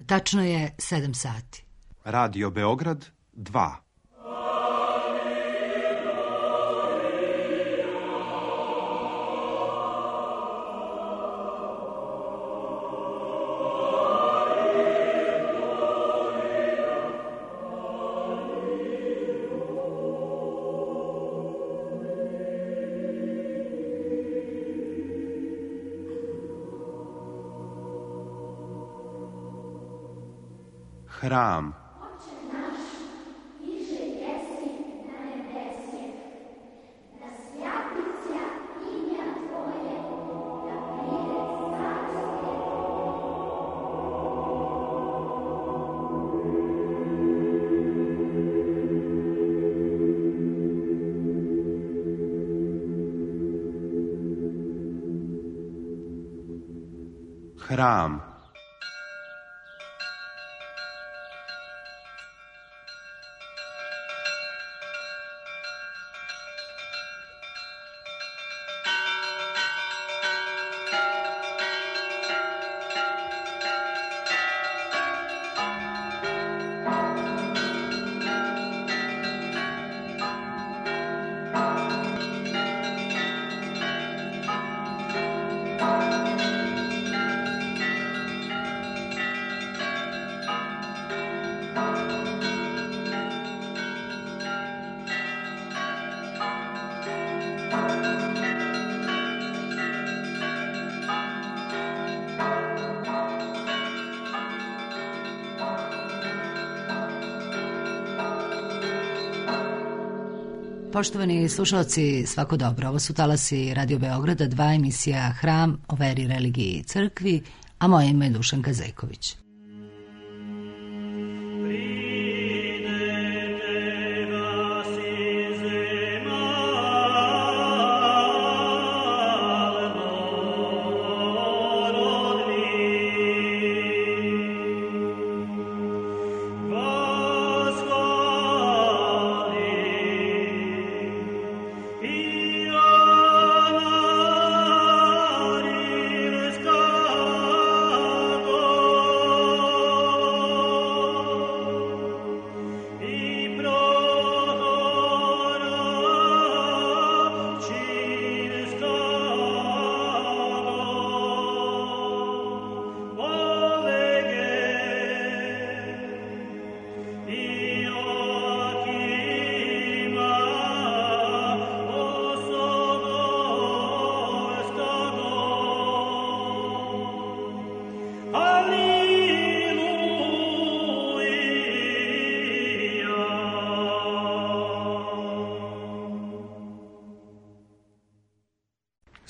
Tačno je 7 sati. Radio Beograd 2. Hram. Hram. Poštovani slušalci, svako dobro. Ovo su talasi Radio Beograda 2, emisija Hram o veri, religiji i crkvi, a moje ime je Dušanka Zejković.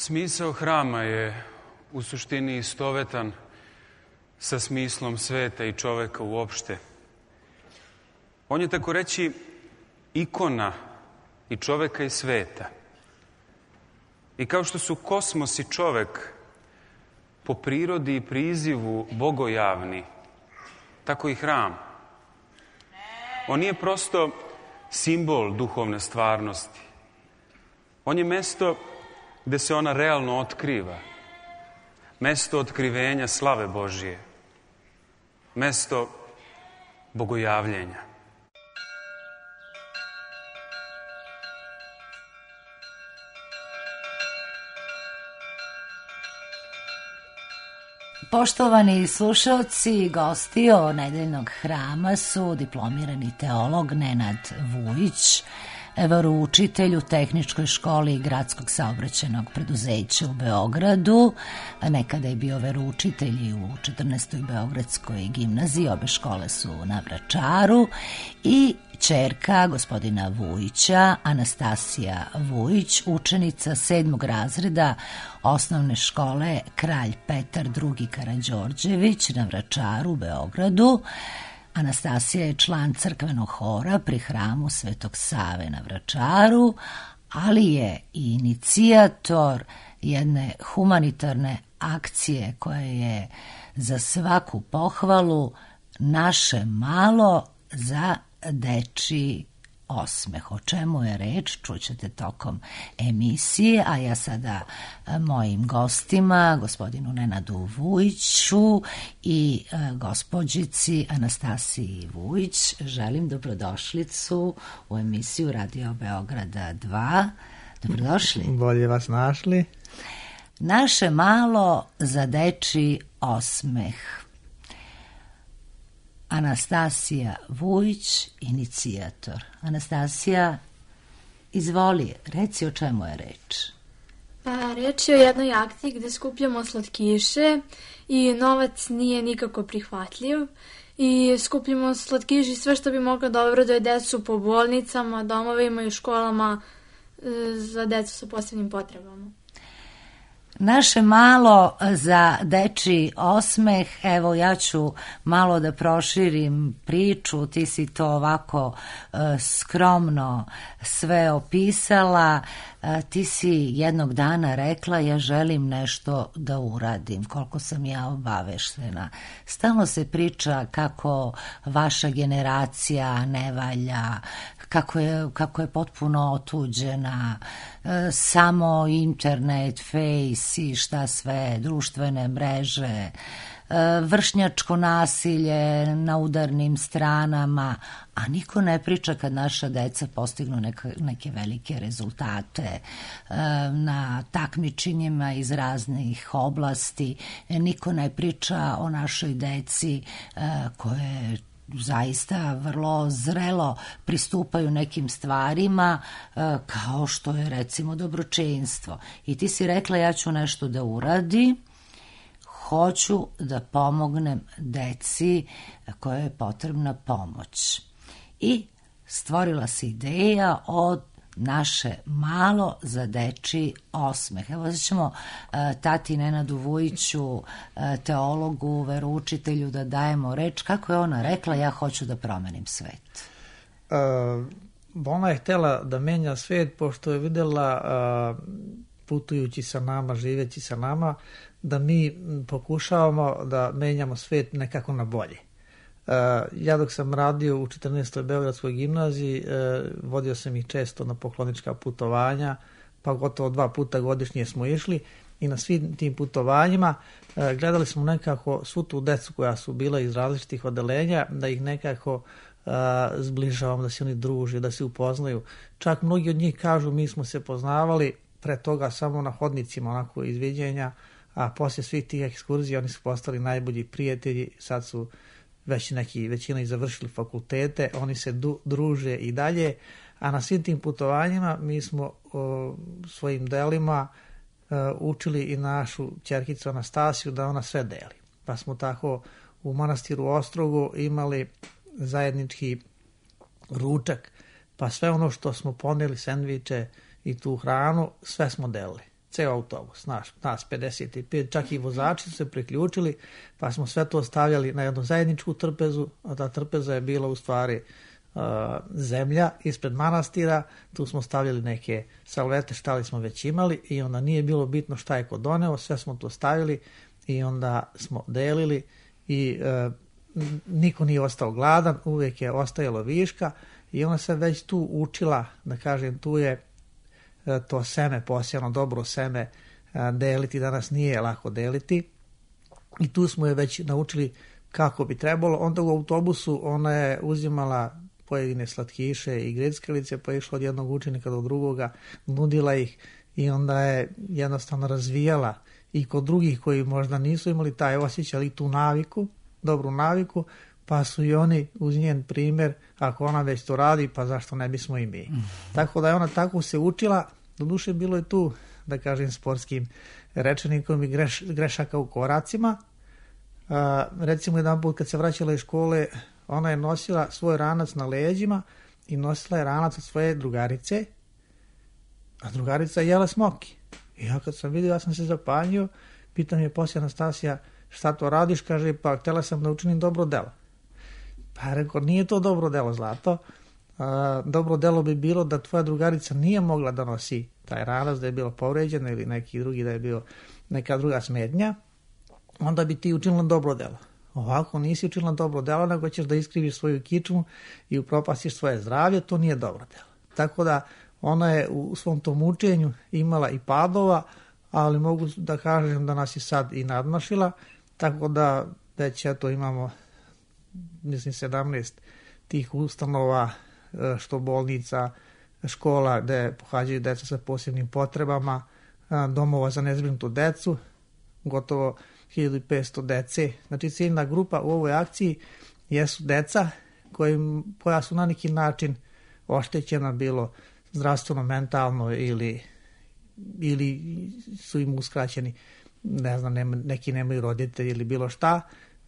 Smisao hrama je u suštini istovetan sa smislom sveta i čoveka uopšte. On je, tako reći, ikona i čoveka i sveta. I kao što su kosmos i čovek po prirodi i prizivu bogojavni, tako i hram. On nije prosto simbol duhovne stvarnosti. On je mesto gde se ona realno otkriva. Mesto otkrivenja slave Božije. Mesto bogojavljenja. Poštovani slušalci i gosti nedeljnog hrama su diplomirani teolog Nenad Vujić, veroučitelj u Tehničkoj školi Gradskog saobraćajnog preduzeća u Beogradu. Nekada je bio veroučitelj i u 14. Beogradskoj gimnaziji, obe škole su na Vračaru, i ćerka gospodina Vujića, Anastasija Vujić, učenica 7. razreda osnovne škole Kralj Petar II. Karađorđević na Vračaru u Beogradu. Anastasija je član crkvenog hora pri hramu Svetog Save na Vračaru, ali je i inicijator jedne humanitarne akcije koja je za svaku pohvalu Naše malo za dečiji osmeh. O čemu je reč, čućete tokom emisije, a ja sada mojim gostima, gospodinu Nenadu Vujiću i gospođici Anastasiji Vujić, želim dobrodošlicu u emisiju Radio Beograda 2. Dobrodošli. Bolje vas našli. Naše malo za dečiji osmeh. Anastasija Vujić, inicijator. Anastasija, izvoli, reci o čemu je reč. Pa, reč je o jednoj akciji gde skupljamo slatkiše i novac nije nikako prihvatljiv. I skupljamo slatkiše i sve što bi moglo dobro da je decu po bolnicama, domovima i školama za decu sa posebnim potrebama. Naše malo za dečiji osmeh, evo ja ću malo da proširim priču, ti si to ovako skromno sve opisala, ti si jednog dana rekla ja želim nešto da uradim, koliko sam ja obaveštena. Stalno se priča kako vaša generacija ne valja, kako je potpuno otuđena, samo internet, face i šta sve, društvene mreže, vršnjačko nasilje na udarnim stranama, a niko ne priča kad naša deca postignu neke velike rezultate na takmičenjima iz raznih oblasti, niko ne priča o našoj deci koje zaista vrlo zrelo pristupaju nekim stvarima kao što je recimo dobročinstvo. I ti si rekla ja ću nešto da uradim, hoću da pomognem deci kojoj je potrebna pomoć. I stvorila se ideja od naše malo za dečiji osmeh. Evo ćemo tati Nenadu Vujiću, teologu, veroučitelju, da dajemo reč. Kako je ona rekla, ja hoću da promenim svet? Ona je htjela da menja svet, pošto je vidjela, putujući sa nama, živeći sa nama, da mi pokušavamo da menjamo svet nekako na bolje. Ja dok sam radio u 14. Beogradskoj gimnaziji, vodio sam ih često na poklonička putovanja, pa gotovo 2 puta godišnje smo išli i na svim tim putovanjima gledali smo nekako svu tu decu koja su bila iz različitih odelenja, da ih nekako zbližavamo, da se oni druže, da se upoznaju. Čak mnogi od njih kažu mi smo se poznavali pre toga samo na hodnicima, onako izviđenja, a poslije svih tih ekskurzija oni su postali najbolji prijatelji, sad su već većina i završili fakultete, oni se druže i dalje, a na svim tim putovanjima mi smo svojim delima učili i našu ćerkicu Anastasiju da ona sve deli. Pa smo tako u manastiru Ostrogu imali zajednički ručak, pa sve ono što smo poneli, sendviče i tu hranu, sve smo delili. Ceo autobus, nas 55, čak i vozači su se priključili, pa smo sve to stavljali na jednu zajedničku trpezu, a ta trpeza je bila u stvari zemlja ispred manastira, tu smo stavljali neke salvete, šta li smo već imali i onda nije bilo bitno šta je ko doneo, sve smo to stavili i onda smo delili i niko nije ostao gladan, uvijek je ostajalo viška i ona se već tu učila, da kažem, tu je to seme, posijano dobro seme deliti, danas nije lako deliti i tu smo je već naučili kako bi trebalo. Onda u autobusu ona je uzimala pojedine slatkiše i grickalice, pa je išla od jednog učenika do drugoga, nudila ih i onda je jednostavno razvijala i kod drugih koji možda nisu imali taj osjećaj, ali tu naviku, dobru naviku, pa su i oni uz njen primjer, ako ona već to radi, pa zašto ne bismo i mi. Tako da je ona tako se učila, doduše bilo je tu, da kažem, sportskim rečenikom i grešaka u koracima. Recimo jedan put kad se vraćala iz škole, ona je nosila svoj ranac na leđima i nosila je ranac od svoje drugarice, a drugarica je jela smoki. I ja kad sam vidio, ja sam se zapanjio, pitam je poslije Anastasija, šta to radiš? Kaže, pa htjela sam da učinim dobro delo. Pa rekao, nije to dobro delo, Zlato. Dobro delo bi bilo da tvoja drugarica nije mogla da nosi taj ranac, da je bilo povređena ili neki drugi, da je bio neka druga smetnja, onda bi ti učinila dobro delo. Ovako nisi učinila dobro delo, nego ćeš da iskriviš svoju kičmu i upropastiš svoje zdravlje, to nije dobro delo. Tako da ona je u svom tom učenju imala i padova, ali mogu da kažem da nas je sad i nadmašila, tako da već eto imamo, mislim, 17 tih ustanova, što bolnica, škola gde pohađaju deca sa posebnim potrebama, domova za nezbrinutu decu, gotovo 1500 dece. Znači ciljna grupa u ovoj akciji jesu deca koja su na neki način oštećena, bilo zdravstveno, mentalno ili su im uskraćeni, ne znam, neki nemaju roditelji ili bilo šta.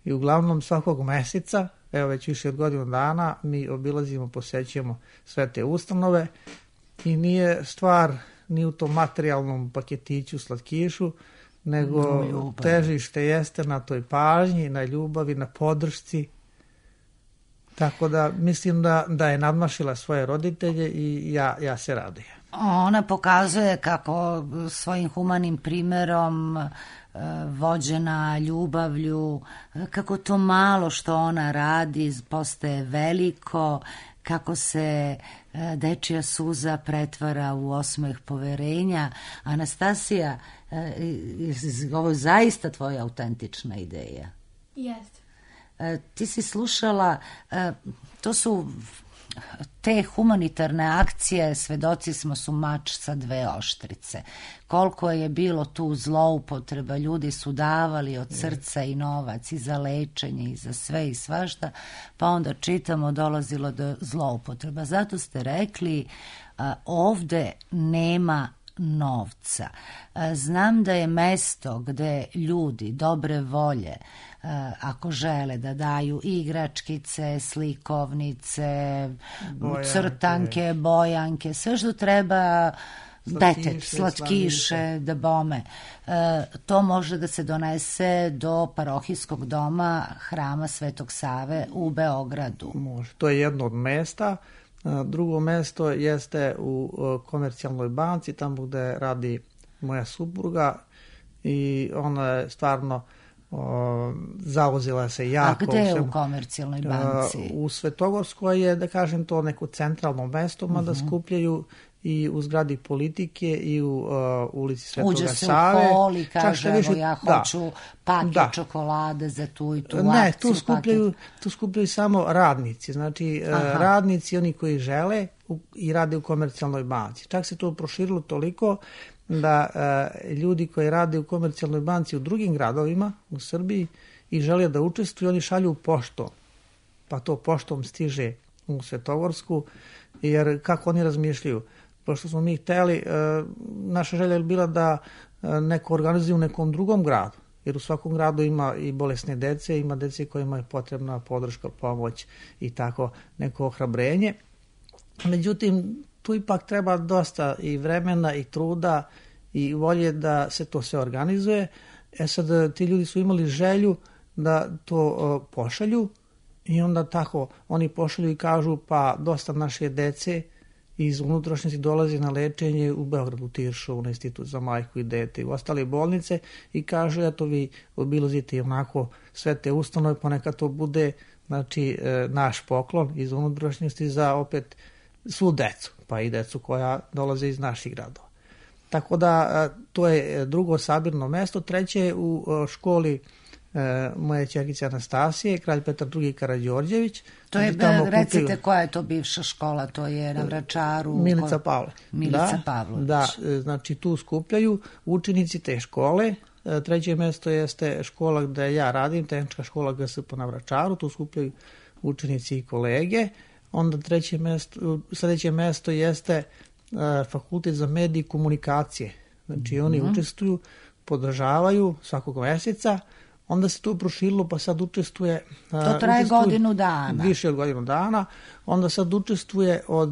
I uglavnom svakog meseca, evo već više od godinu dana, mi obilazimo, posećujemo sve te ustanove i nije stvar ni u tom materijalnom paketiću, slatkišu, nego težište jeste na toj pažnji, na ljubavi, na podršci. Tako da mislim da je nadmašila svoje roditelje i ja se radujem. Ona pokazuje kako svojim humanim primerom, vođena ljubavlju, kako to malo što ona radi postaje veliko, kako se dečija suza pretvara u osmeh poverenja. Anastasija, ovo je zaista tvoja autentična ideja. Jeste. Ti si slušala, to su te humanitarne akcije, svedoci smo, su mač sa dve oštrice. Koliko je bilo tu zloupotreba, ljudi su davali od srca i novac i za lečenje i za sve i svašta, pa onda čitamo dolazilo do zloupotreba. Zato ste rekli, ovde nema novca. Znam da je mesto gde ljudi dobre volje, ako žele da daju igračkice, slikovnice, crtanke, bojanke, sve što treba, slatkiše, da bome. To može da se donese do parohijskog doma Hrama Svetog Save u Beogradu. Može. To je jedno od mesta. Drugo mesto jeste u Komercijalnoj banci, tamo gde radi moja supruga i ona je stvarno zauzela se jako. A gde je u Komercijalnoj banci? U Svetogorskoj je, da kažem, to neko centralno mesto, mada skupljaju i u zgradi Politike i u ulici Svetoga Save. Uđe se u hol i kaže, evo ja hoću paket čokolade za tu i tu akciju. Ne, tu skupljaju samo radnici, znači radnici, oni koji žele i rade u Komercijalnoj banci. Čak se to proširilo toliko da ljudi koji rade u Komercijalnoj banci u drugim gradovima u Srbiji i žele da učestvuju, oni šalju poštom, pa to poštom stiže u Svetogorsku, jer kako oni razmišljaju? Pošto smo mi hteli, naša želja je bila da neko organizuje u nekom drugom gradu, jer u svakom gradu ima i bolesne dece, ima dece kojima je potrebna podrška, pomoć i tako neko ohrabrenje. Međutim, tu ipak treba dosta i vremena i truda i volje da se to sve organizuje. Sad ti ljudi su imali želju da to pošalju i onda tako oni pošalju i kažu, pa dosta naše dece iz unutrašnjosti dolazi na lečenje u Beogradu, Tiršovu, na Institut za majku i dete i u ostale bolnice i kažu, eto vi obilazite onako sve te ustanove, ponekad to bude, znači, naš poklon iz unutrašnjosti za opet svu decu, pa i decu koja dolaze iz naših gradova. Tako da to je drugo sabirno mesto. Treće je u školi moje ćerkice Anastasije, Kralj Petar II. Karađorđević. To je, recite, koja je to bivša škola? To je na Vračaru? Milica Pavlović. Milica Pavlović. Da, znači tu skupljaju učenici te škole. Treće mesto jeste škola gde ja radim, tehnička škola GSP na Vračaru, tu skupljaju učenici i kolege. Onda sledeće mesto jeste Fakultet za medije i komunikacije. Znači oni učestvuju, podržavaju svakog meseca. Onda se to proširilo, pa sad učestvuje... To traje godinu dana. Više od godinu dana. Onda sad učestvuje od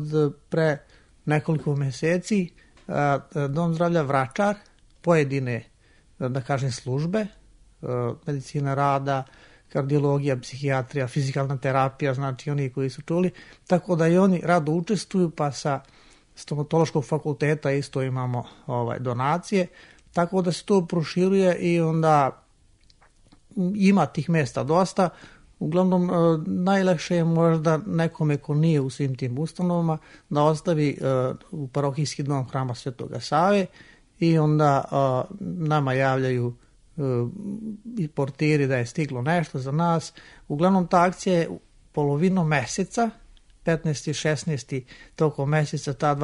pre nekoliko meseci Dom zdravlja Vračar, pojedine, da kažem, službe, medicina rada, kardiologija, psihijatrija, fizikalna terapija, znači oni koji su čuli. Tako da i oni rado učestvuju, pa sa stomatološkog fakulteta isto imamo donacije. Tako da se to proširuje i onda ima tih mesta dosta. Uglavnom, najlakše je možda nekome ko nije u svim tim ustanovama da ostavi u parohijski dom Hrama Svetoga Save i onda nama javljaju i portiri da je stiglo nešto za nas. Uglavnom, ta akcija je polovinom meseca, 15. i 16. tokom meseca, ta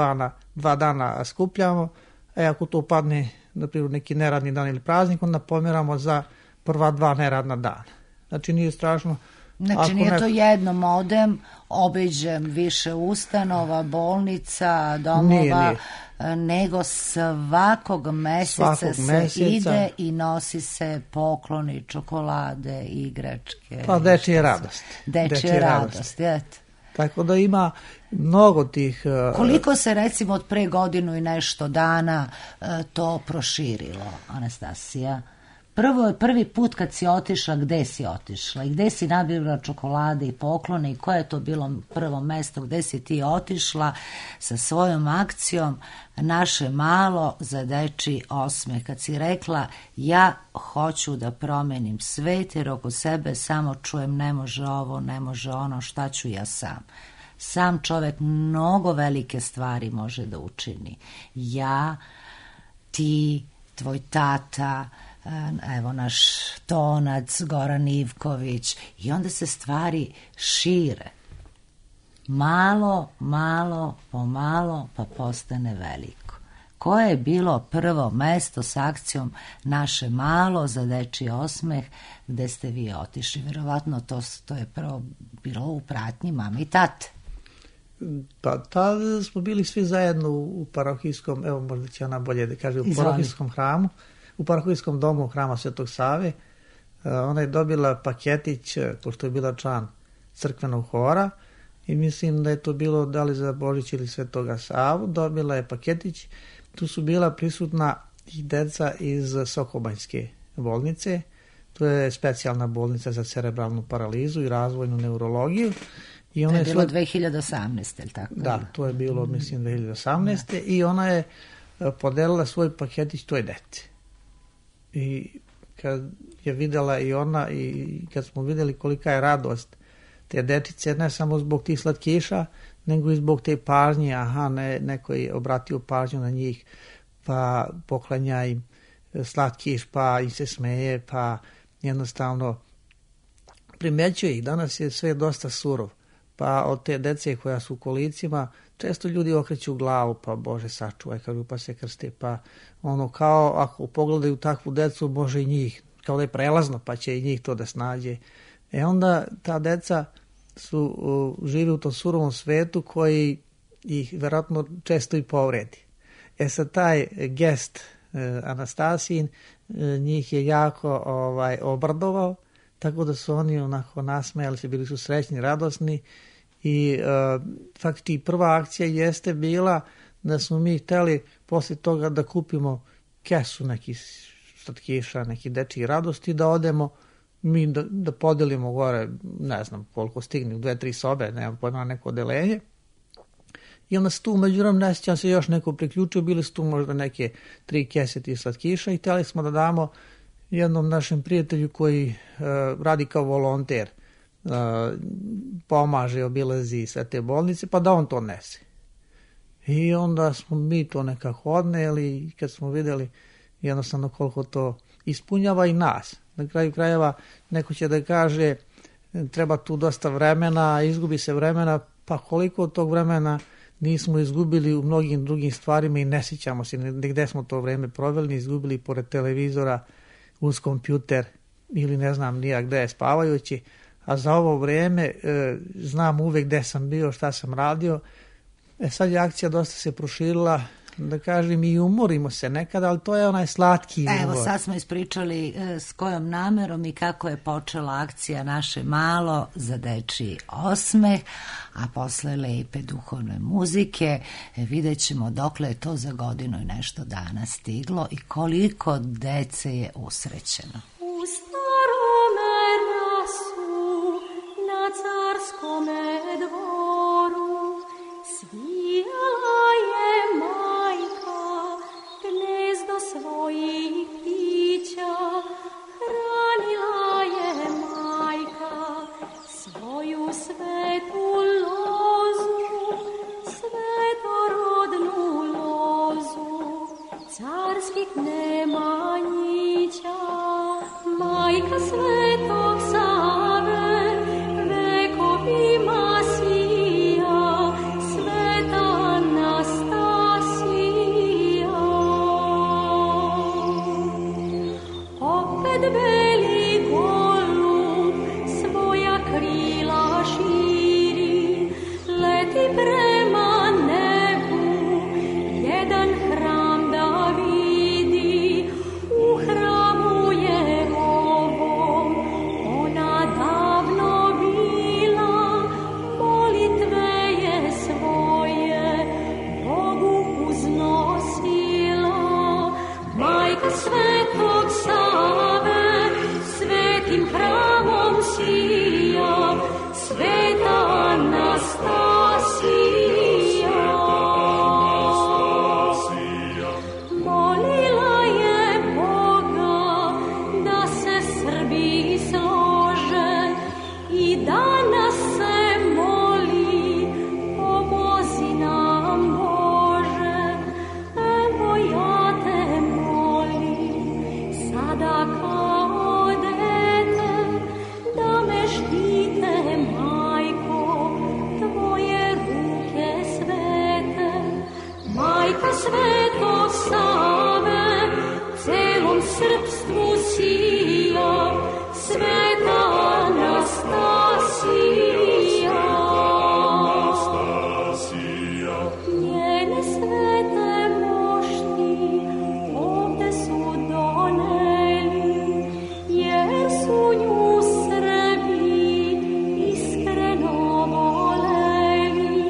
dva dana skupljamo. Ako to padne, na primjer, neki neradni dan ili praznik, onda pomeramo za prva 2 neradna dana. Znači, nije strašno. Znači, nije to jednom odem, obiđem više ustanova, bolnica, domova, nego svakog meseca ide i nosi se pokloni, čokolade, igračke. Pa dečija radost. Dečija radost, jete. Tako da ima mnogo tih... Koliko se recimo od pre godinu i nešto dana to proširilo, Anastasija? Prvi put kad si otišla, gde si otišla i gde si nabavila čokolade i poklone i koje je to bilo prvo mesto gde si ti otišla sa svojom akcijom Naše malo za dečiji osmeh, kad si rekla ja hoću da promenim svet jer oko sebe samo čujem ne može ovo, ne može ono, šta ću ja sam. Sam čovek mnogo velike stvari može da učini. Ja, ti, tvoj tata, evo naš Tonac, Goran Ivković, i onda se stvari šire. Malo, pomalo, pa postane veliko. Koje je bilo prvo mesto s akcijom Naše malo za dečiji osmeh gde ste vi otišli? Verovatno to je prvo bilo u pratnji mame i tate. Pa tada smo bili svi zajedno u parohijskom, evo možda će ona bolje da kaže, u parohijskom hramu, u parohijskom domu Hrama Svetog Save. Ona je dobila paketić, pošto je bila član crkvenog hora, i mislim da je to bilo da li za Božić ili Svetoga Savu, dobila je paketić. Tu su bila prisutna i deca iz Sokobanjske bolnice, to je specijalna bolnica za cerebralnu paralizu i razvojnu neurologiju. I to je bilo 2018, je li tako? Da, to je bilo, mislim, 2018. I ona je podelila svoj paketić toj deci. I kad je videla i ona i kad smo videli kolika je radost te detice, ne samo zbog tih slatkiša, nego i zbog te pažnje, neko je obratio pažnju na njih, pa poklanja im slatkiš, pa im se smeje, pa jednostavno primećuje ih. Danas je sve dosta surov, pa od te dece koja su u kolicima, često ljudi okreću glavu, pa Bože sačuvaj, kažu, pa se krste, pa ono kao ako pogledaju takvu decu, može i njih, kao da je prelazno, pa će i njih to da snađe. Onda ta deca žive u tom surovom svetu koji ih verovatno često i povredi. Sad taj gest Anastasijin njih je jako obradovao, tako da su oni onako nasmejali se, bili su srećni, radosni i faktički prva akcija jeste bila da smo mi hteli posle toga da kupimo kesu nekih slatkiša, nekih dečjih radosti, da odemo mi da podelimo gore, ne znam koliko stigne, u 2-3 sobe, nemam pojma, neko odelenje. I onda se tu međutim ne sjećam se još neko priključio, bili su tu možda neke 3 kese tih slatkiša i htjeli smo da damo jednom našem prijatelju koji radi kao volonter, pomaže, obilazi sve te bolnice, pa da on to nese. I onda smo mi to nekako odneli i kad smo vidjeli jednostavno koliko to ispunjava i nas. Na kraju krajeva neko će da kaže treba tu dosta vremena, izgubi se vremena, pa koliko od tog vremena nismo izgubili u mnogim drugim stvarima i ne sjećamo se gde smo to vreme proveli, izgubili pored televizora, uz kompjuter ili ne znam nija gde je spavajući, a za ovo vreme znam uvek gde sam bio, šta sam radio. Sad je akcija dosta se proširila, da kažem, i umorimo se nekada, ali to je onaj slatki umor. Evo, sad smo ispričali s kojom namerom i kako je počela akcija Naše malo za dečiji osmeh, a posle lepe duhovne muzike vidjet ćemo dokle je to za godinu i nešto dana stiglo i koliko dece je usrećeno. U starome rasu na carskome dvoru svijala je majka gnezdo svojih pića, hranila krila širi, leti prema nebu, jedan hram da vidi, u hramu je ovom, ona davno bila, molitve je svoje Bogu uznosila, majka Svetog Save, svetim hramom sija, sveta Anastasija. Molila je Boga da se Srbi slože i danas se moli, pomozi nam Bože, evo ja te molim, sada kao dete, da me štite, majko, tvoje ruke svete. Majka Svetog Save, celom srpstvu sija, sveta Anastasija. Njene svete mošti ovde su doneli, jer su nju Srbi iskreno voleli.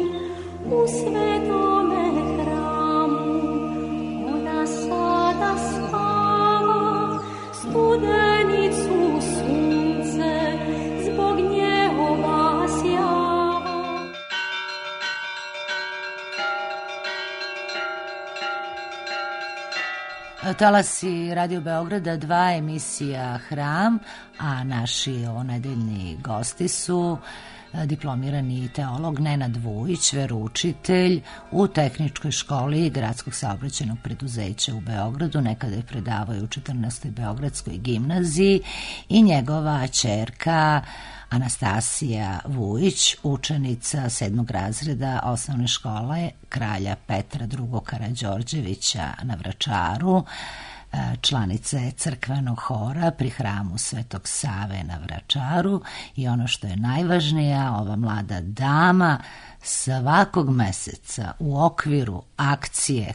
U svetome hramu ona sada spava, studenicu sunce zbog nje obasjava. Talasi Radio Beograda 2, emisija Hram, a naši ovonedeljni gosti su diplomirani teolog Nenad Vujić, veroučitelj u Tehničkoj školi Gradskog saobraćajnog preduzeća u Beogradu, nekada je predavao u 14. Beogradskoj gimnaziji, i njegova ćerka Anastasija Vujić, učenica 7. razreda osnovne škole Kralja Petra II. Karađorđevića na Vračaru, članica je crkvenog hora pri hramu Svetog Save na Vračaru, i ono što je najvažnije, ova mlada dama svakog meseca u okviru akcije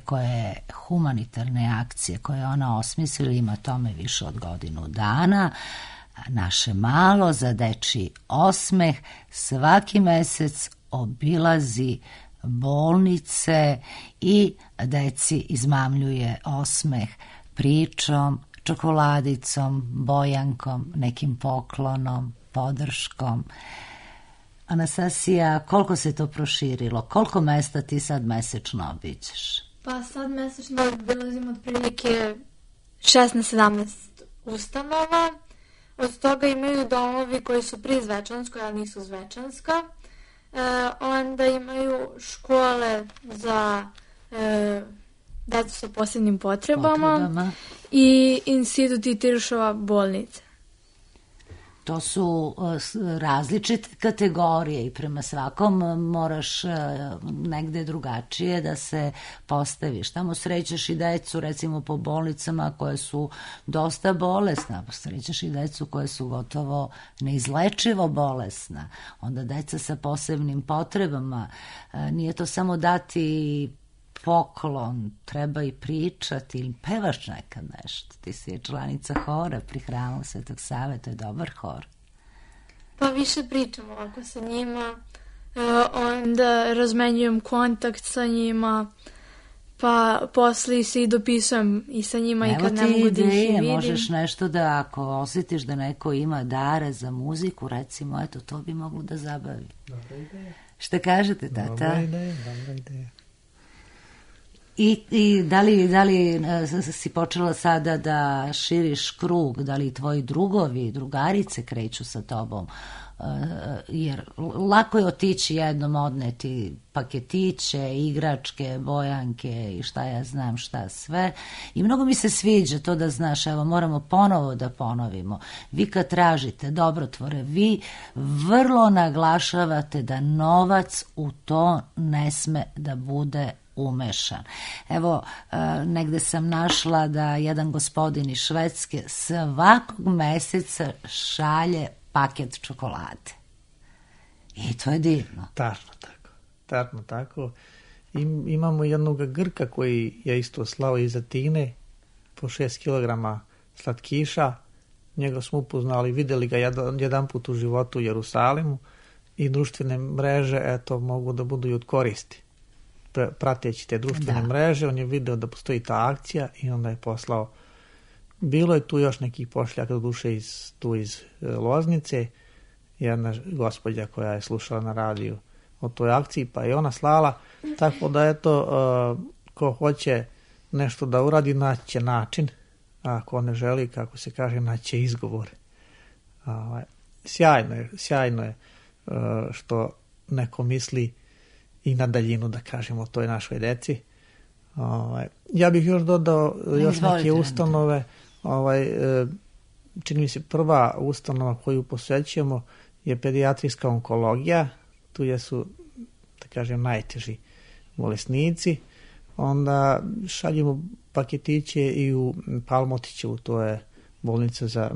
humanitarne akcije koje ona osmislila, ima tome više od godinu dana, Naše malo za dečiji osmeh, svaki mesec obilazi bolnice i deci izmamljuje osmeh pričom, čokoladicom, bojankom, nekim poklonom, podrškom. Anastasija, koliko se to proširilo? Koliko mesta ti sad mesečno obiđeš? Pa sad mesečno obilazim otprilike 16-17 ustanova. Od toga imaju domovi koji su pri Zvečanskoj, ali nisu Zvečanska. Onda imaju škole za decu sa posebnim potrebama i institut i Tiršova bolnica. To su različite kategorije i prema svakom moraš negde drugačije da se postaviš. Tamo srećeš i decu recimo po bolnicama koje su dosta bolesna, srećeš i decu koje su gotovo neizlečivo bolesna. Onda deca sa posebnim potrebama, nije to samo dati poklon, treba i pričati ili pevaš nekad nešto. Ti si članica hora pri hramu Svetog Save, to je dobar hor. Pa više pričam ovako sa njima, onda razmenjujem kontakt sa njima, pa posle se i dopisujem i sa njima. Evo i kad ne mogu da ih vidim. Možeš nešto da, ako osjetiš da neko ima dare za muziku, recimo, eto, to bi moglo da zabavi. Dobra ideja. Šta kažete, tata? Dobra ideja. I da li si počela sada da širiš krug, da li tvoji drugovi, drugarice kreću sa tobom? Jer lako je otići jednom, odneti paketiće, igračke, bojanke i šta ja znam šta sve. I mnogo mi se sviđa to da znaš, evo moramo ponovo da ponovimo. Vi kad tražite dobrotvore, vi vrlo naglašavate da novac u to ne sme da bude umešan. Evo, negde sam našla da jedan gospodin iz Švedske svakog meseca šalje paket čokolade. I to je divno. Tačno tako. Imamo jednog Grka koji je isto slao iz Atine po 6 kg slatkiša. Njega smo upoznali, vidjeli ga jedan put u životu u Jerusalimu i društvene mreže, eto, mogu da budu i od koristi. Prateći te društvene mreže, on je video da postoji ta akcija i onda je poslao. Bilo je tu još nekih pošljaka, do duše iz Loznice, jedna gospođa koja je slušala na radiju o toj akciji, pa je ona slala, tako da eto, ko hoće nešto da uradi, naći način, a ako ne želi, kako se kaže, naći izgovor. Sjajno je što neko misli i na daljinu, da kažemo, o toj našoj deci. Ja bih još dodao još neke ustanove. Čini mi se prva ustanova koju posvećujemo je pedijatrijska onkologija. Tu su, da kažem, najteži bolesnici. Onda šaljemo paketiće i u Palmotićevu, to je bolnica za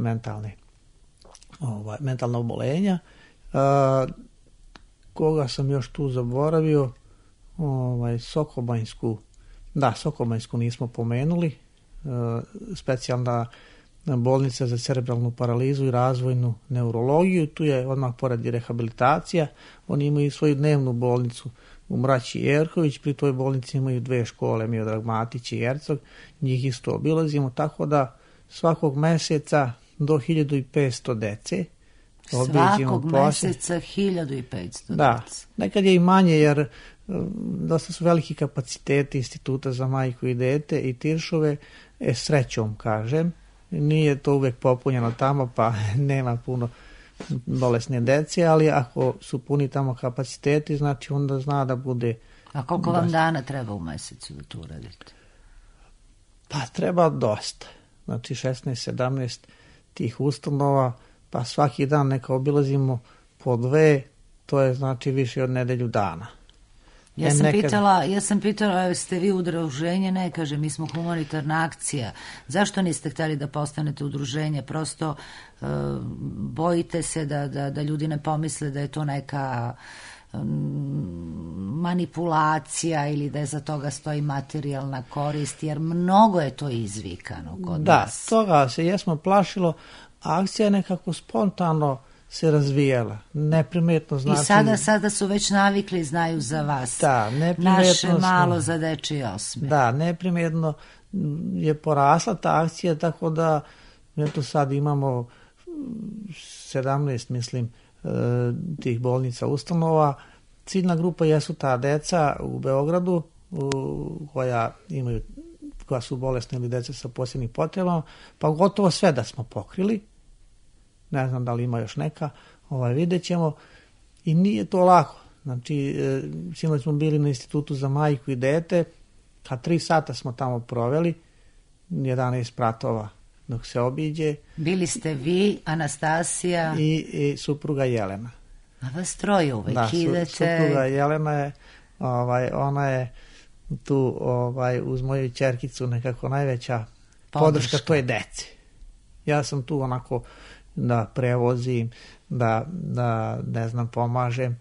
mentalna obolenja. Koga sam još tu zaboravio? Sokobanjsku nismo pomenuli. Specijalna bolnica za cerebralnu paralizu i razvojnu neurologiju. Tu je odmah pored i rehabilitacija. Oni imaju svoju dnevnu bolnicu u Mraći i Erković. Pri toj bolnici imaju 2 škole, Miodrag Matić i Ercog. Njih isto obilazimo, tako da svakog meseca do 1500 dece. Svakog meseca 1500 da, nekad je i manje, jer dosta su veliki kapaciteti Instituta za majku i dete i Tiršove, srećom kažem, nije to uvek popunjeno tamo, pa nema puno bolesne dece, ali ako su puni tamo kapaciteti, znači onda zna da bude... A koliko vam dana treba u mesecu da to uradite? Pa treba dosta, znači 16-17 tih ustanova, pa svaki dan neka obilazimo po 2, to je znači više od nedelju dana. Ja sam pitala, jeste vi udruženje? Ne, kaže, mi smo humanitarna akcija. Zašto niste htjeli da postanete udruženje? Prosto bojite se da ljudi ne pomisle da je to neka manipulacija ili da je za toga stoji materijalna korist, jer mnogo je to izvikano kod nas. Da, toga se jesmo plašilo, akcija je nekako spontano se razvijala, neprimetno znači... I sada su već navikli, znaju za vas. Da, neprimetno... Naše malo za dečiji osmeh. Da, neprimetno je porasla ta akcija, tako da eto sad imamo 17, mislim, tih bolnica ustanova. Ciljna grupa jesu ta deca u Beogradu koja su bolesne ili deca sa posebnim potrebama, pa gotovo sve da smo pokrili. Ne znam da li ima još neka, vidjet ćemo. I nije to lako. Znači, sinoć smo bili na Institutu za majku i dete, 3 sata smo tamo proveli, 11 pratova dok se obiđe. Bili ste vi, Anastasija i supruga Jelena. A vas troje uvek idete. Supruga Jelena je, ona je tu uz moju ćerkicu nekako najveća podrška toj deci. Ja sam tu onako da prevozim, da ne znam, pomažem,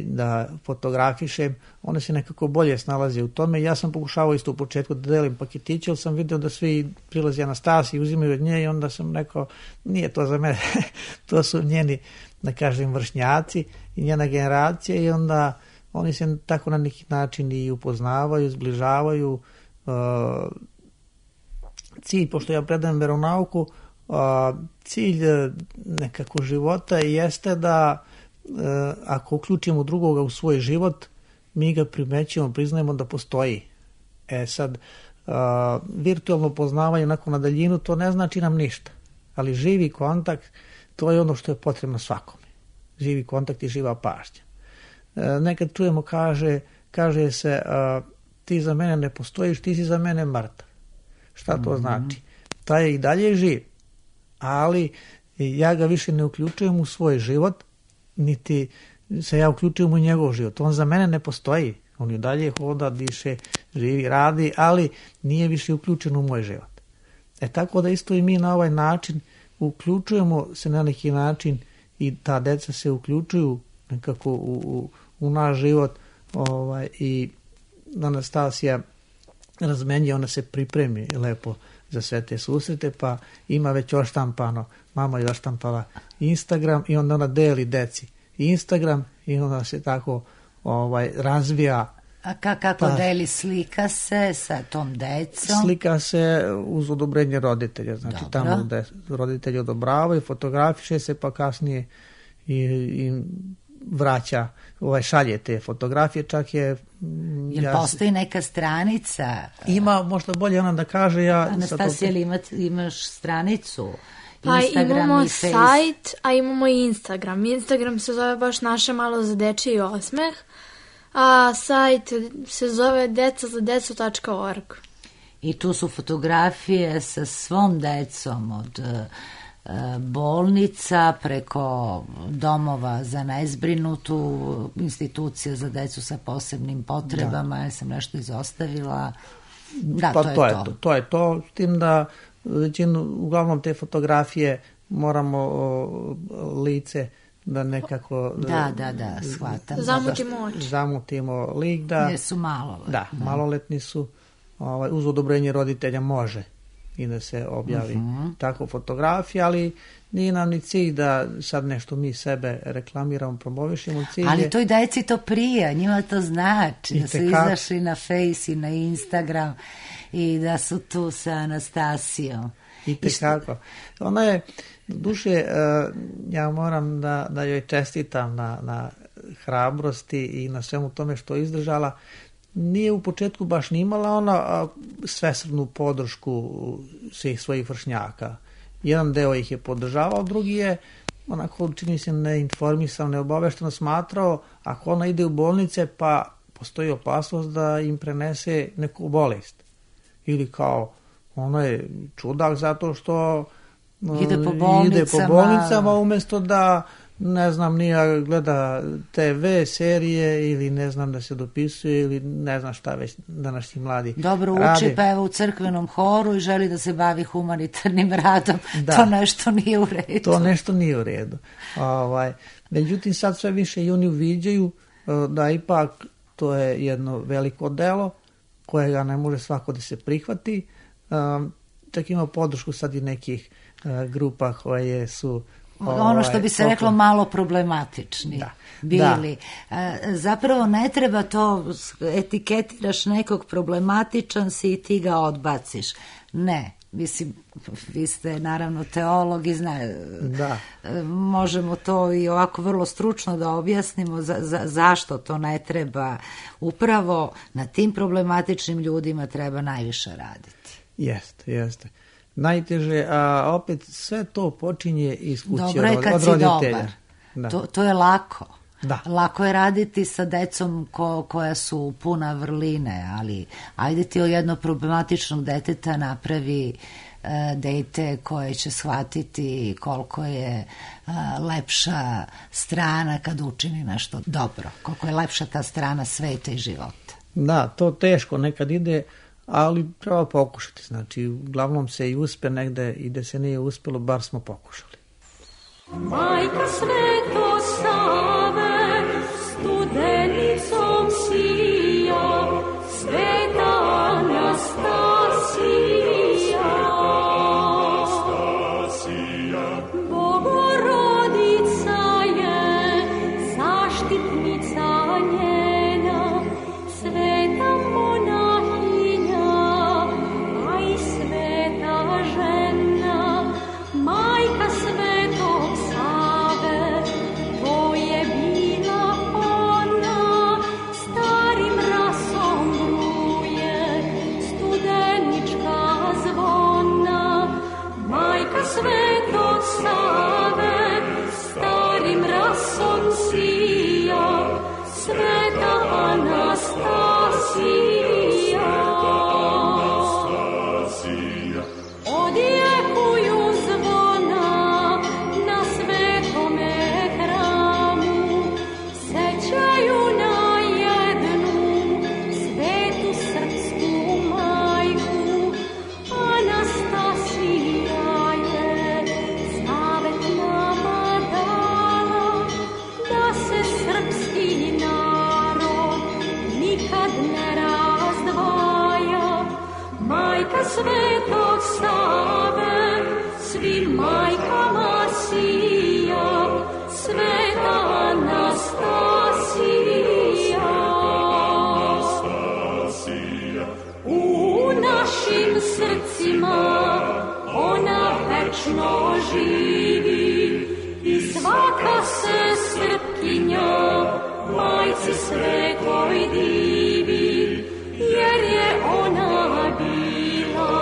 da fotografišem. One se nekako bolje snalaze u tome. Ja sam pokušavao isto u početku da delim paketiće, ali sam vidio da svi prilazi Anastasiji, uzimaju od nje i onda sam rekao, nije to za mene, to su njeni, da kažem, vršnjaci i njena generacija, i onda oni se tako na neki način i upoznavaju, zbližavaju. Cilj, pošto ja predajem veronauku, cilj nekako života jeste da ako uključimo drugoga u svoj život, mi ga primećujemo, priznajemo da postoji. Sad, virtualno poznavanje onako na daljinu, to ne znači nam ništa, ali živi kontakt, to je ono što je potrebno svakome. Živi kontakt i živa pažnja. Nekad čujemo, kaže se, ti za mene ne postojiš, ti si za mene mrtav. Šta to znači? Taj je i dalje živ, ali ja ga više ne uključujem u svoj život, niti se ja uključujem u njegov život. On za mene ne postoji. On i dalje hoda, diše, živi, radi, ali nije više uključen u moj život. Tako da isto i mi na ovaj način uključujemo se na neki način i ta deca se uključuju nekako u naš život, i Anastasija razmenjuje, ona se pripremi lepo za sve te susrete, pa ima već oštampano, mama je oštampala Instagram i onda ona deli deci Instagram i onda se tako razvija. A kako deli, slika se sa tom decom? Slika se uz odobrenje roditelja, znači Dobro. tamo gde roditelji odobravaju, fotografiše se, pa kasnije i vraća, šalje te fotografije, čak je... Jel postoji neka stranica? Ima, možda bolje ona da kaže, Anastasija, ili imaš stranicu? Pa Instagram imamo i Face? sajt, a imamo i Instagram. Instagram se zove baš Naše malo za dečiji osmeh, a sajt se zove decazadecu.org. I tu su fotografije sa svom decom, od bolnica preko domova za nezbrinutu, institucija za decu sa posebnim potrebama, ja sam nešto izostavila. Da, pa to je to. To je to, s tim da uglavnom te fotografije moramo lice da nekako... Da, shvatam. Zamutimo lik da... Jer su maloletni. Da, maloletni su, uz odobrenje roditelja može i da se objavi tako fotografija, ali nije nam ni cilj da sad nešto mi sebe reklamiramo, promovišemo. Ali toj deci to prija, njima to znači, da su izašli na Face i na Instagram i da su tu sa Anastasijom. I tekako. Ona je, duše, ja moram da joj čestitam na hrabrosti i na svemu tome što je izdržala. Nije u početku baš ni imala ona svesrdnu podršku svih svojih vršnjaka. Jedan deo ih je podržavao, drugi je onako, čini se, neinformisan, neobavešteno smatrao, ako ona ide u bolnice, pa postoji opasnost da im prenese neku bolest. Ili kao, ono je čudak zato što ide po bolnicama umjesto da, ne znam, nije gleda TV serije ili ne znam da se dopisuje ili ne znam šta već današnji mladi dobro radi. Uči, pa evo u crkvenom horu i želi da se bavi humanitarnim radom. Da. To nešto nije u redu. To nešto nije u redu. Međutim, sad sve više i oni uviđaju da ipak to je jedno veliko delo kojega ne može svako da se prihvati. Čak ima podršku sad i nekih grupa koje su ono što bi se reklo malo problematični bili. Zapravo ne treba to, etiketiraš nekog, problematičan si i ti ga odbaciš. Ne, mislim, vi ste naravno teolog i možemo to i ovako vrlo stručno da objasnimo zašto to ne treba. Upravo na tim problematičnim ljudima treba najviše raditi. Jeste. Najteže, a opet sve to počinje iz kuće od roditelja. Dobro je kad si dobar. To je lako. Da. Lako je raditi sa decom koja su puna vrline, ali ajde ti od jednog problematičnog deteta napravi dete koje će shvatiti koliko je lepša strana kad učini nešto dobro, koliko je lepša ta strana sveta i života. Da, to teško nekad ide, ali treba pokušati. Znači, uglavnom se i uspe negde i da se nije uspelo, bar smo pokušali. Majka Sveto Save, studenicom sija, Sveta Anastasija. Bogorodica je zaštitnica njena, sveta monahinja, a i sveta žena, majka Svetog Save, to je bila ona, starim rasom bruje, studenička zvona, majka Svetog Save, starim rasom sija, sveta Anastasija. Odjekuju zvona na svetome hramu, sećaju na jednu svetu srpsku majku. Anastasija je zavet nama dala, da se majci svetoj divi, jer je ona bila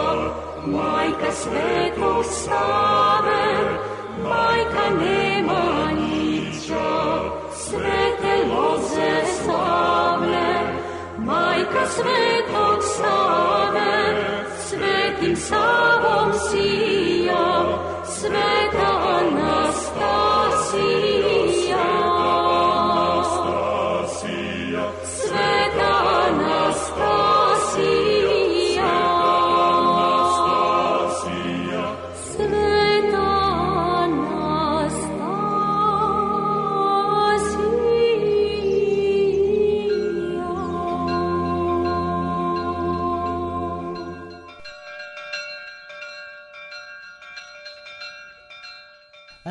majka svetog Save, majka Nemanjića, svete loze slavne, majka svetog Save, svetim Savom sija, sveta Anastasija.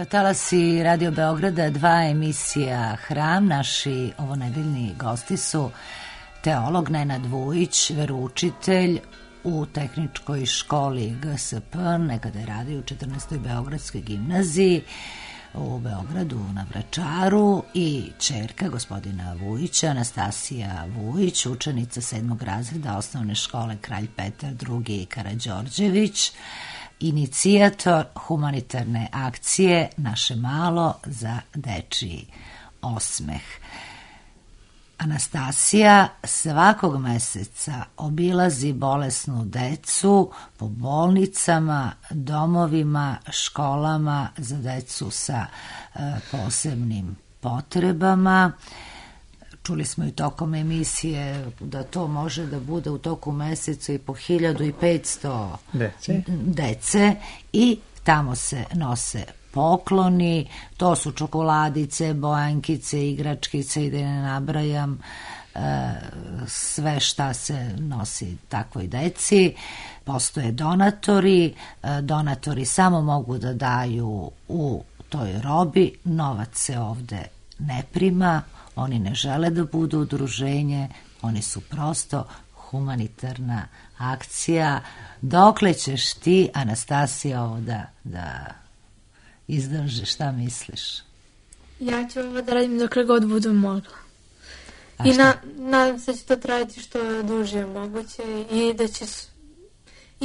Talasi Radio Beograda, 2 emisija Hram. Naši ovonedeljni gosti su teolog Nenad Vujić, veroučitelj u tehničkoj školi GSP, nekada je radio u 14. Beogradskoj gimnaziji u Beogradu na Vračaru, i ćerka gospodina Vujića, Anastasija Vujić, učenica 7. razreda osnovne škole Kralj Petar II. Karađorđević, inicijator humanitarne akcije Naše malo za dečiji osmeh. Anastasija svakog meseca obilazi bolesnu decu po bolnicama, domovima, školama za decu sa posebnim potrebama. Čuli smo i tokom emisije da to može da bude u toku meseca i po 1500 dece i tamo se nose pokloni, to su čokoladice, bojankice, igračkice i da ne nabrajam sve šta se nosi takvoj deci. Postoje donatori, donatori samo mogu da daju u toj robi, novac se ovde ne prima, oni ne žele da budu udruženje, oni su prosto humanitarna akcija. Dokle ćeš ti, Anastasija, ovo da izdržiš, šta misliš? Ja ću ovo da radim dokle god budu mogla. I nadam se da će to trajati što duže je moguće i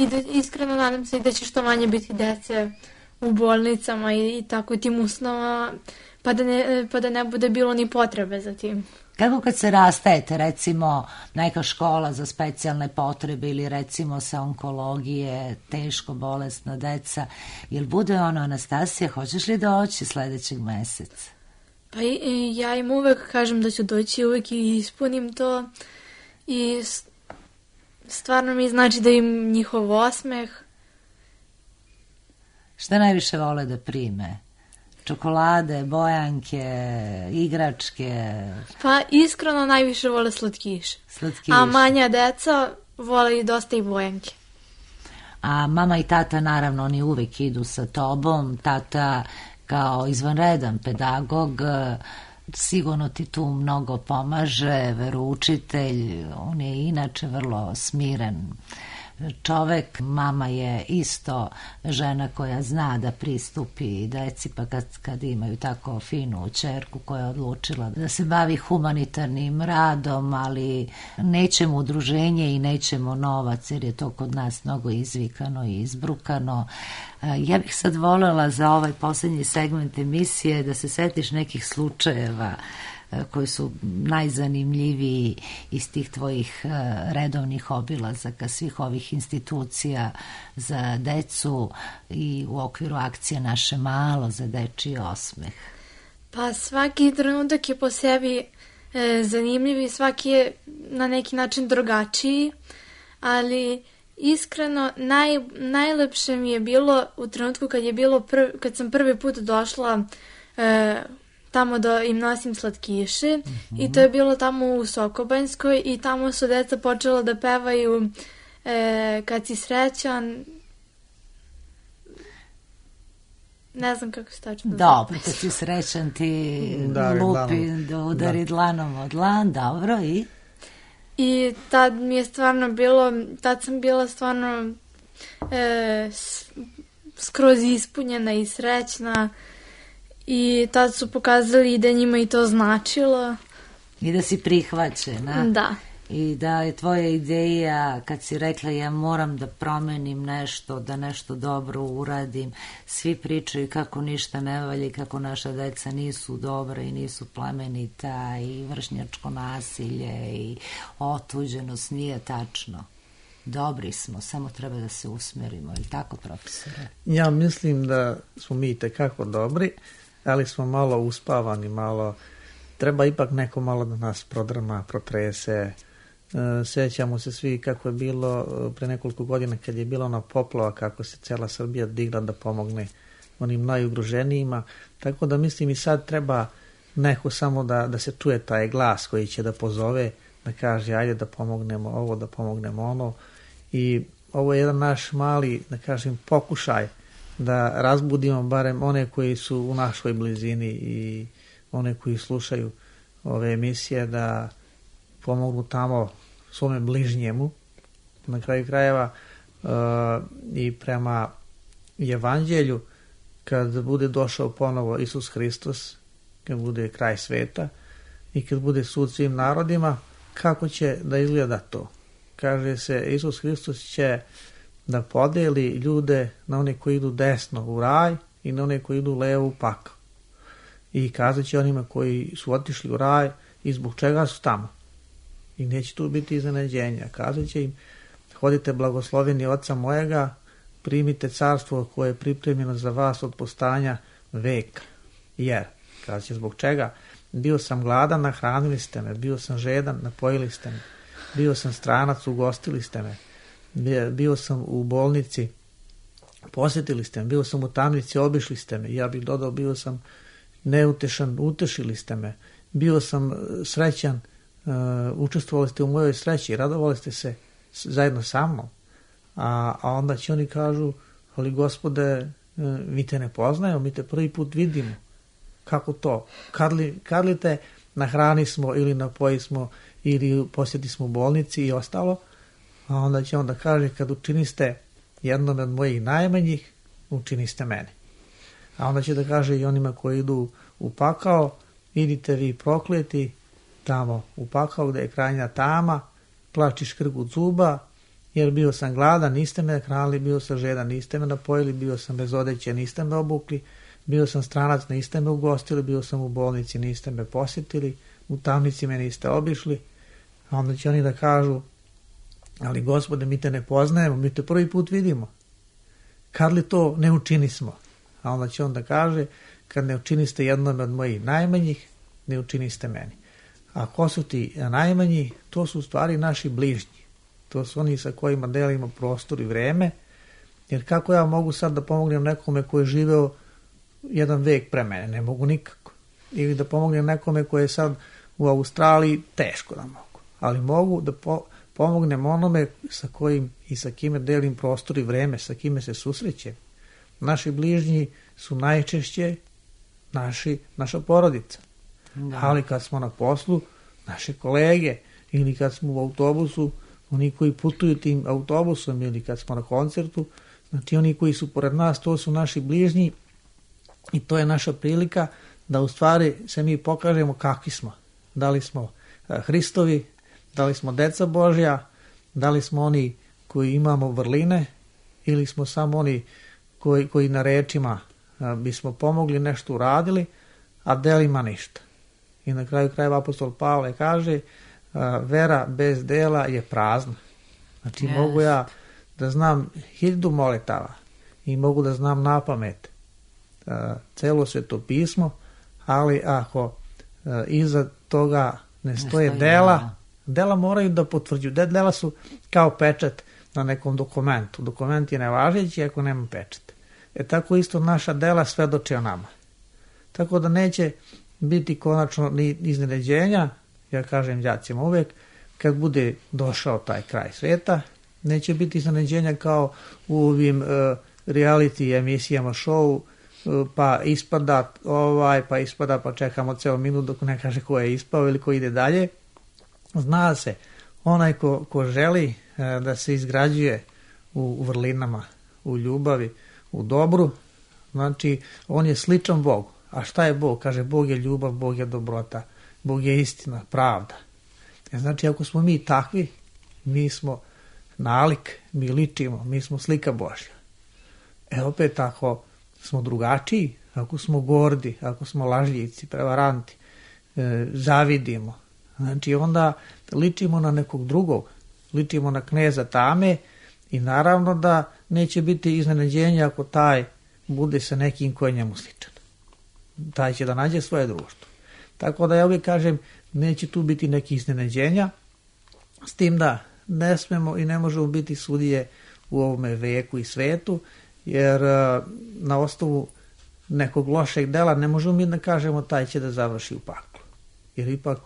da iskreno nadam se i da će što manje biti dece u bolnicama i tako tim ustanovama, pa da ne bude bilo ni potrebe za tim. Kako kad se rastajete, recimo neka škola za specijalne potrebe ili recimo sa onkologije, teško bolesna deca, jel bude ono, Anastasija, hoćeš li doći sledećeg meseca? Pa ja im uvek kažem da ću doći, uvek i ispunim to i stvarno mi znači da im njihov osmeh. Šta najviše vole da prime? Čokolade, bojanke, igračke? Pa iskreno najviše vole slatkiše. A manja deca vole i dosta i bojanke. A mama i tata, naravno, oni uvek idu sa tobom. Tata kao izvanredan pedagog sigurno ti tu mnogo pomaže, veroučitelj, on je inače vrlo smiren čovek. Mama je isto žena koja zna da pristupi deci, pa kad imaju tako finu ćerku koja je odlučila da se bavi humanitarnim radom, ali nećemo udruženje i nećemo novac, jer je to kod nas mnogo izvikano i izbrukano. Ja bih sad voljela za ovaj poslednji segment emisije da se setiš nekih slučajeva koji su najzanimljiviji iz tih tvojih redovnih obilazaka svih ovih institucija za decu i u okviru akcije Naše malo za dečiji osmeh. Pa svaki trenutak je po sebi zanimljiv i svaki je na neki način drugačiji, ali iskreno najlepše mi je bilo u trenutku kad sam prvi put došla tamo da im nosim slatkiše i to je bilo tamo u Sokobanjskoj i tamo su deca počela da pevaju kad si srećan, ne znam kako se tačno zove. Dobro, kad si srećan ti lupi da udari dlanom od dlan, dobro i? I tad mi je stvarno tad sam bila stvarno skroz ispunjena i srećna. I tad su pokazali da njima i to značilo, I da si prihvaćena. Da. I da je tvoja ideja, kad si rekla ja moram da promenim nešto, da nešto dobro uradim, svi pričaju kako ništa ne valja i kako naša deca nisu dobra i nisu plemenita i vršnjačko nasilje i otuđenost, nije tačno. Dobri smo, samo treba da se usmerimo, ili tako, profesore? Ja mislim da smo mi tekako dobri, ali smo malo uspavani, malo, treba ipak neko malo da nas prodrma, protrese. Sjećamo se svi kako je bilo pre nekoliko godina kad je bila ona poplava, kako se cela Srbija digla da pomogne onim najugroženijima, tako da mislim i sad treba neko samo da se čuje taj glas koji će da pozove, da kaže ajde da pomognemo ovo, da pomognemo ono. I ovo je jedan naš mali, da kažem, pokušaj da razbudimo barem one koji su u našoj blizini i one koji slušaju ove emisije, da pomognu tamo svome bližnjemu. Na kraju krajeva i prema evanđelju, kad bude došao ponovo Isus Hristos, kad bude kraj sveta i kad bude sud svim narodima, kako će da izgleda to? Kaže se, Isus Hristos će da podeli ljude na one koji idu desno u raj i na one koji idu levo u pakao. I kazat će onima koji su otišli u raj i zbog čega su tamo. I neće tu biti iznenađenja. Kazat će im, hodite blagosloveni Oca mojega, primite carstvo koje je pripremljeno za vas od postanja veka. Jer, kazat će zbog čega, bio sam gladan, nahranili ste me, bio sam žedan, napojili ste me, bio sam stranac, ugostili ste me, bio sam u bolnici, posjetili ste me, bio sam u tamnici, obišli ste me, ja bih dodao, bio sam neutešan, utešili ste me, bio sam srećan, učestvovali ste u mojoj sreći, radovali ste se zajedno sa mnom. A onda će oni kažu, ali Gospode, mi te ne poznajemo, mi te prvi put vidimo. Kako to? Kad li te nahrani smo ili napoji smo ili posjeti smo u bolnici i ostalo? A onda će onda kaže, kad učiniste jednom od mojih najmanjih, učiniste mene. A onda će da kaže i onima koji idu u pakao, idite vi prokleti tamo u pakao gde je krajnja tama, plač i škrgut zuba, jer bio sam gladan, niste me hranili, bio sam žedan, niste me napojili, bio sam bez odeće, niste me obukli, bio sam stranac, niste me ugostili, bio sam u bolnici, niste me posjetili, u tamnici me niste obišli. A onda će oni da kažu, ali Gospode, mi te ne poznajemo, mi te prvi put vidimo. Kad li to ne učinismo? A onda će on da kaže, kad ne učiniste jednom od mojih najmanjih, ne učiniste meni. A ko su ti najmanji? To su u stvari naši bližnji. To su oni sa kojima delimo prostor i vreme. Jer kako ja mogu sad da pomognem nekome koji je živeo jedan vek pre mene? Ne mogu nikako. Ili da pomognem nekome koji je sad u Australiji, teško da mogu. Ali mogu da pomognem onome sa kojim i sa kime delim prostor i vreme, sa kime se susrećem. Naši bližnji su najčešće naša porodica. Da. Ali kad smo na poslu, naše kolege, ili kad smo u autobusu, oni koji putuju tim autobusom, ili kad smo na koncertu, znači oni koji su pored nas, to su naši bližnji i to je naša prilika da u stvari se mi pokažemo kakvi smo. Da li smo Hristovi, da li smo deca Božja, da li smo oni koji imamo vrline ili smo samo oni koji na rečima bismo pomogli, nešto uradili, a delima ništa. I na kraju krajeva apostol Pavle kaže, vera bez dela je prazna. Znači mogu ja da znam 1000 molitava i mogu da znam napamet celo Sveto pismo, ali ako iza toga ne stoje dela moraju da potvrđuju. Dela su kao pečat na nekom dokumentu. Dokument je nevažeći ako nema pečat. Tako isto naša dela svedoče o nama. Tako da neće biti konačno ni iznenađenja, ja kažem đacima uvek, kad bude došao taj kraj sveta, neće biti iznenađenja kao u ovim reality emisijama, show, pa ispada pa čekamo ceo minut dok ne kaže ko je ispao ili ko ide dalje. Zna se, onaj ko želi da se izgrađuje u vrlinama, u ljubavi, u dobru, znači on je sličan Bogu. A šta je Bog? Kaže, Bog je ljubav, Bog je dobrota. Bog je istina, pravda. Znači, ako smo mi takvi, mi smo nalik, mi ličimo, mi smo slika Božja. Opet ako smo drugačiji, ako smo gordi, ako smo lažljivci, prevaranti, zavidimo, znači onda ličimo na nekog drugog, ličimo na kneza tame i naravno da neće biti iznenađenja ako taj bude sa nekim koji je njemu sličan. Taj će da nađe svoje društvo. Tako da ja uvijek kažem, neće tu biti nekih iznenađenja, s tim da ne smemo i ne možemo biti sudije u ovome veku i svetu, jer na osnovu nekog lošeg dela ne možemo mi da kažemo taj će da završi u paklu. Jer ipak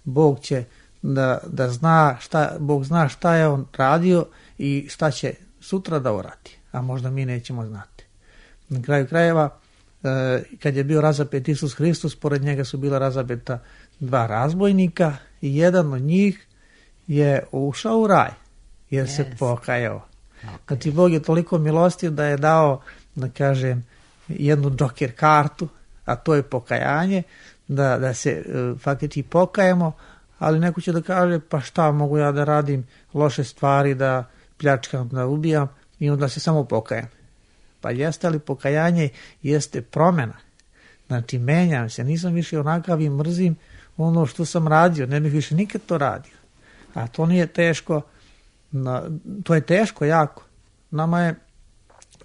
Bog će da zna Bog zna šta je on radio i šta će sutra da uradi, a možda mi nećemo znati. Na kraju krajeva, kad je bio razapet Isus Hristos, pored njega su bila razapeta 2 razbojnika i jedan od njih je ušao u raj jer se pokajao. Znači, Bog je toliko milostiv da je dao, da kažem, jednu džoker kartu, a to je pokajanje, da se faktički pokajemo, ali neko će da kaže, pa šta mogu ja da radim loše stvari, da pljačkam, da ubijam i onda se samo pokajem. Pa jeste li pokajanje, jeste promjena. Znači, menjam se, nisam više onakav i mrzim ono što sam radio, ne bih više nikad to radio. A to nije teško, to je teško jako. Nama je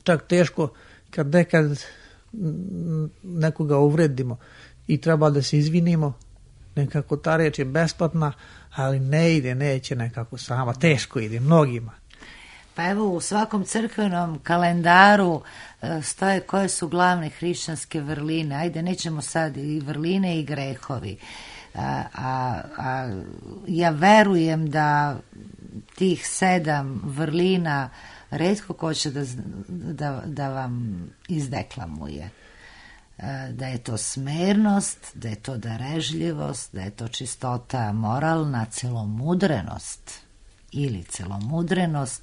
čak teško kad nekad nekoga uvredimo i treba da se izvinimo, nekako ta reč je besplatna, ali ne ide, neće nekako sama, teško ide mnogima. Pa evo, u svakom crkvenom kalendaru stoje koje su glavne hrišćanske vrline. Ajde, nećemo sad i vrline i grehovi. Ja verujem da tih 7 vrlina retko ko će da vam izdeklamuje. Da je to smernost, da je to darežljivost, da je to čistota moralna, celomudrenost ili celomudrenost,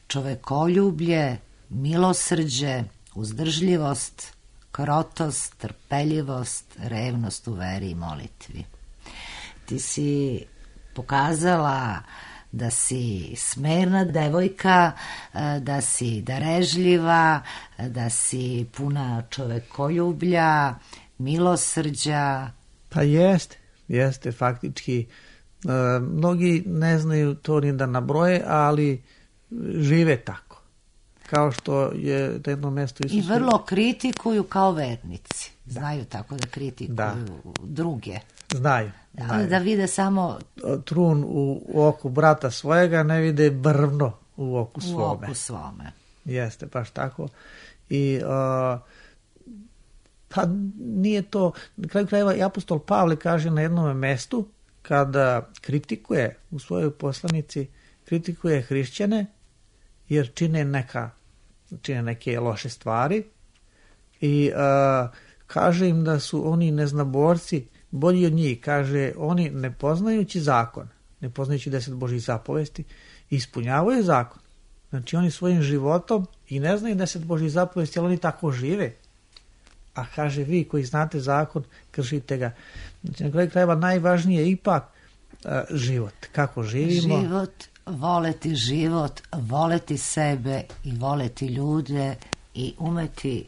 čovekoljublje, milosrđe, uzdržljivost, krotost, trpeljivost, revnost u veri i molitvi. Ti si pokazala da si smerna devojka, da si darežljiva, da si puna čovekoljublja, milosrđa. Pa jeste faktički. Mnogi ne znaju to ni da nabroje, ali žive tako. Kao što je na jednom mjestu Isus. I vrlo kritikuju kao vernici. Znaju tako da kritikuju druge. Znaju. Da vide samo trun u oku brata svojega, ne vide brvno u oku svome. Jeste, baš tako. I pa nije to, na kraju krajeva i apostol Pavle kaže na jednom mjestu, kada kritikuje u svojoj poslanici, kritikuje hrišćane jer čine neke loše stvari i kaže im da su oni neznaborci bolji od njih. Kaže, oni ne poznajući zakon, ne poznajući 10 Božjih zapovesti, ispunjavaju zakon. Znači oni svojim životom i ne znaju 10 Božjih zapovesti, ali oni tako žive. A kaže, vi koji znate zakon, kršite ga. Znači, na kraju krajeva najvažnije je ipak život. Kako živimo? Život, voleti sebe i voleti ljude i umeti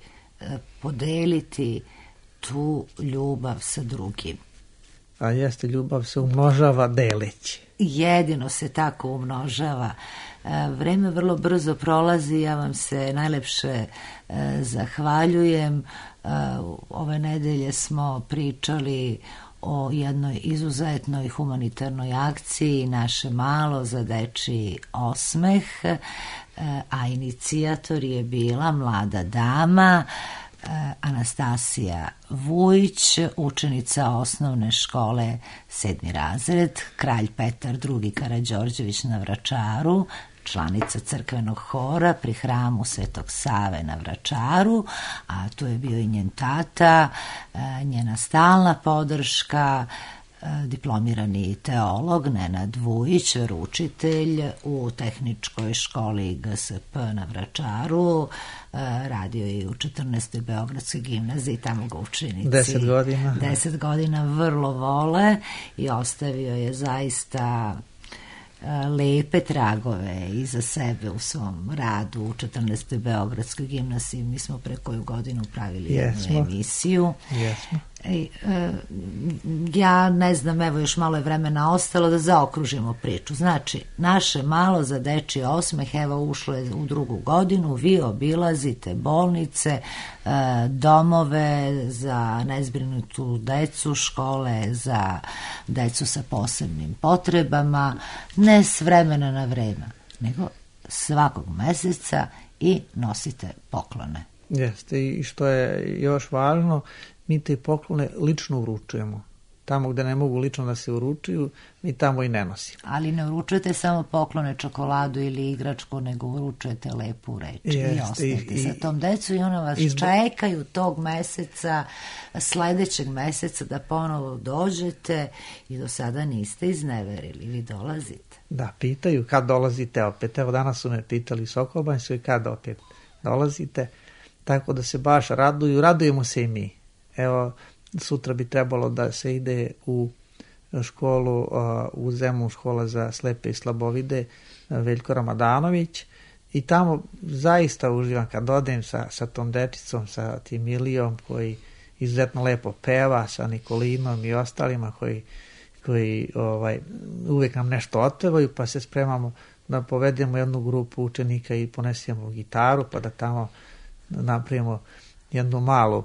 podeliti tu ljubav sa drugim. A jeste, ljubav se umnožava deleći. Jedino se tako umnožava. Vreme vrlo brzo prolazi, ja vam se najlepše zahvaljujem. Ove nedelje smo pričali o jednoj izuzetnoj humanitarnoj akciji Naše malo za dečiji osmeh, a inicijator je bila mlada dama Anastasija Vujić, učenica osnovne škole 7. razred, Kralj Petar II. Karađorđević na Vračaru, članica crkvenog hora pri hramu Svetog Save na Vračaru, a tu je bio i njen tata, njena stalna podrška, diplomirani teolog Nenad Vujić, veroučitelj u tehničkoj školi GSP na Vračaru, radio je u 14. Beogradskoj gimnaziji, tamo ga učenici 10 godina. 10 godina vrlo vole i ostavio je zaista lepe tragove iza sebe u svom radu u 14. Beogradskoj gimnaziji. Mi smo pre koju godinu pravili jednu emisiju. Jesmo. Ja ne znam, evo još malo je vremena ostalo da zaokružimo priču. Znači, naše malo za dečji osmeh, evo ušlo je u 2. godinu, vi obilazite bolnice, domove za nezbrinutu decu, škole za decu sa posebnim potrebama, ne s vremena na vreme, nego svakog meseca i nosite poklone. Jeste, i što je još važno, mi te poklone lično uručujemo. Tamo gde ne mogu lično da se uručuju, mi tamo i ne nosimo. Ali ne uručujete samo poklone, čokoladu ili igračku, nego uručujete lepu reč. I ostanete sa tom decu i ona vas čekaju tog meseca, sledećeg meseca da ponovo dođete i do sada niste izneverili, vi dolazite. Da, pitaju kad dolazite opet. Evo danas su me pitali u Sokolbanjskoj kad opet dolazite, tako da se baš radujemo se i mi. Evo, sutra bi trebalo da se ide u školu, u Zemun, škola za slepe i slabovide, Veljko Ramadanović, i tamo zaista uživam kad odem sa tom dečicom, sa tim Ilijom koji izuzetno lepo peva, sa Nikolinom i ostalima koji uvek nam nešto otpevaju, pa se spremamo da povedemo jednu grupu učenika i ponesemo gitaru, pa da tamo napravimo jednu malu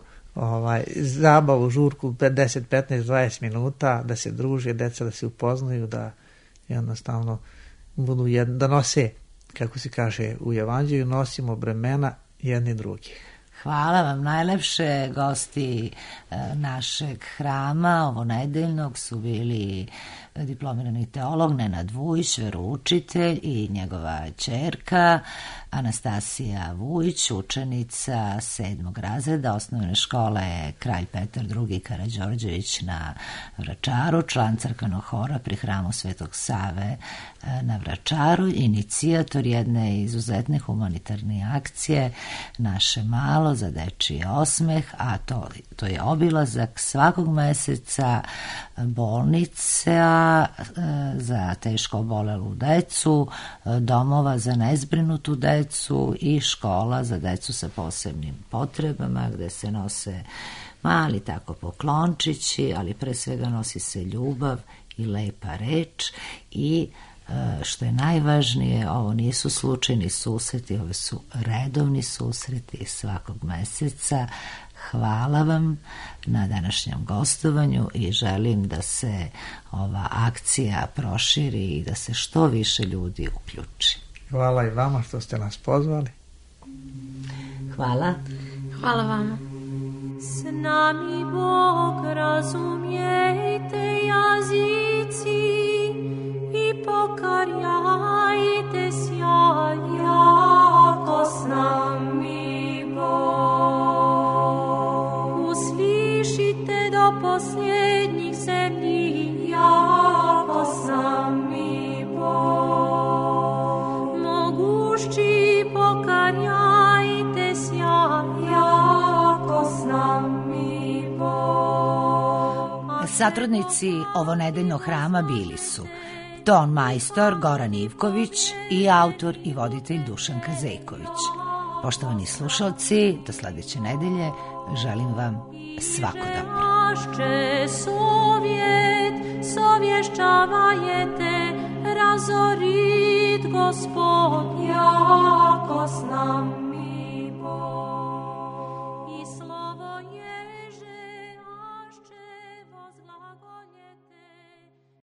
zabavu, žurku 10, 15, 20 minuta, da se druže deca, da se upoznaju, da jednostavno budu da nose, kako se kaže u Evanđelju, nosimo bremena jedni drugih. Hvala vam najlepše. Gosti našeg hrama ovo nedeljnog su bili diplomirani teolog Nenad Vujić, veroučitelj, i njegova ćerka Anastasija Vujić, učenica 7. razreda osnovne škole Kralj Petar II. Karađorđević na Vračaru, član crkvenog hora pri hramu Svetog Save na Vračaru, inicijator jedne izuzetne humanitarne akcije Naše malo za dečiji osmeh, a to je obilazak svakog meseca bolnica za teško obolelu decu, domova za nezbrinutu decu i škola za decu sa posebnim potrebama, gde se nose mali tako poklončići, ali pre svega nosi se ljubav i lepa reč i što je najvažnije, ovo nisu slučajni susreti, ovo su redovni susreti svakog meseca. Hvala vam na današnjem gostovanju i želim da se ova akcija proširi i da se što više ljudi uključi. Hvala i vama što ste nas pozvali. Hvala. Hvala vama. S nami Bog, razumijete jazici i pokarjajte sjaj, jako s nami Bog. Uslišite do posljednjih zemlji, jako s nami Bog. Mogušći pokarjajte sjaj, jako s nami Bog. Satrudnici ovonedeljnog hrama bili su ton majstor Goran Ivković i autor i voditelj Dušan Kazejković. Poštovani slušalci, do sledeće nedelje želim vam svako dobro. Našče sovjet, sovješćavajete, razorit Gospod, jako s nama.